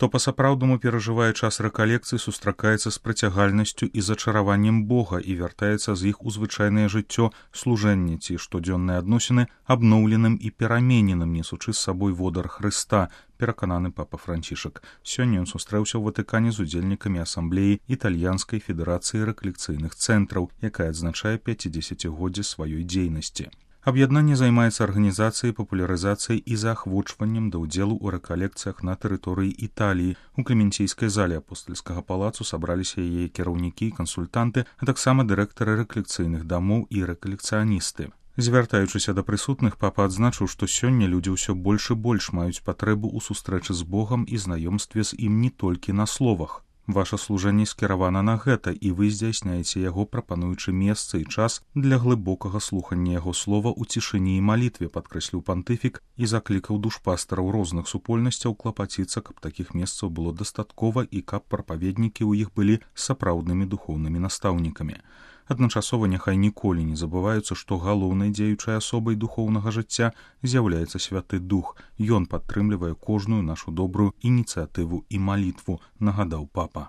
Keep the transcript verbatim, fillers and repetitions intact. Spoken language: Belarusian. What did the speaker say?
Хто па-сапраўднаму перажывае час рэкалекцыі, сустракаецца з прыцягальнасцю і зачараваннем Бога і вяртаецца з іх у звычайнае жыццё, служэнне ці штодзённыя адносіны абноўленым і перамененым, несучы з сабой водар Хрыста, перакананы папа Францішак. Сёння ён сустрэўся ў Ватыкане з удзельнікамі асамблеі Італьянскай федэрацыі рэкалекцыйных цэнтраў, якая адзначае пяцідзесяцігоддзе сваёй дзейнасці. Аб'яднанне займаецца арганізацыяй, папулярызацыяй і заахвочваннем да ўдзелу ў рэкалекцыях на тэрыторыі Італіі. У Клементійскай зале апостальскага палацу сабраліся яе кіраўнікі і кансультанты, а таксама дырэктары рэкалекцыйных дамоў і рэкалекцыяністы. Звяртаючыся да прысутных, папа адзначыў, што сёння людзі ўсё больш і больш маюць патрэбу ў сустрэчы з Богам і знаёмстве з ім не толькі на словах. Ваша служэнне скіравана на гэта, і вы здзяйсняеце яго, прапануючы месца і час для глыбокага слухання яго слова ў цішыні і малітве, падкрэсліў пантыфік і заклікаў душпастараў розных супольнасцяў клапаціцца, каб такіх месцаў было дастаткова і каб прапаведнікі ў іх былі сапраўднымі духоўнымі настаўнікамі. Адначасова няхай ніколі не забываюцца, што галоўнай дзеючай асобай духоўнага жыцця з'яўляецца Святы Дух. Ён падтрымлівае кожную нашу добрую ініцыятыву і малітву, нагадаў папа.